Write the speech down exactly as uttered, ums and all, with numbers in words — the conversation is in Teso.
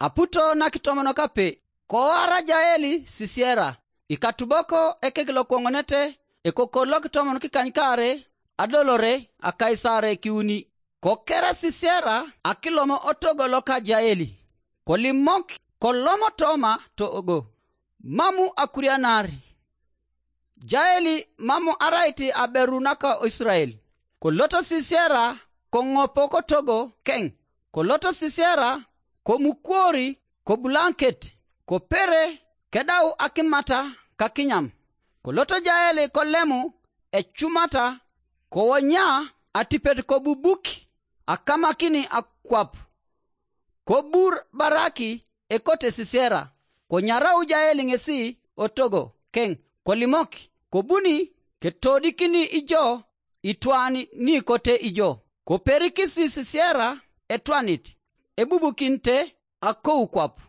aputo na kitomon kape. Koara Jaeli Sisera, ikatubok ekek lokoŋonete, ekokor lokitomon kikanykaare, adolore a Kaisare kiuni. Kokera Sisera akilom otogo loka Jaeli, kolimok kolom toma togo, mamu akurianar. Jaeli mamu arait aberu naka Israel. Koloto Sisera koŋopo kotogo keŋ, koloto Sisera komukuori kobulanket, kopere kedau akimata kakinyam. Koloto Jaeli kolemu ecumata, kowonya atipet kobubuk akamakini akwap. Kobur Baraki ekote Sisera, konyarau Jaeli ŋesi otogo keŋ, kolimok, kobuni ketodikini ijo itwan ni kote ijo. Koperikisi Sisera etwanit, ebubukinte akou kwap.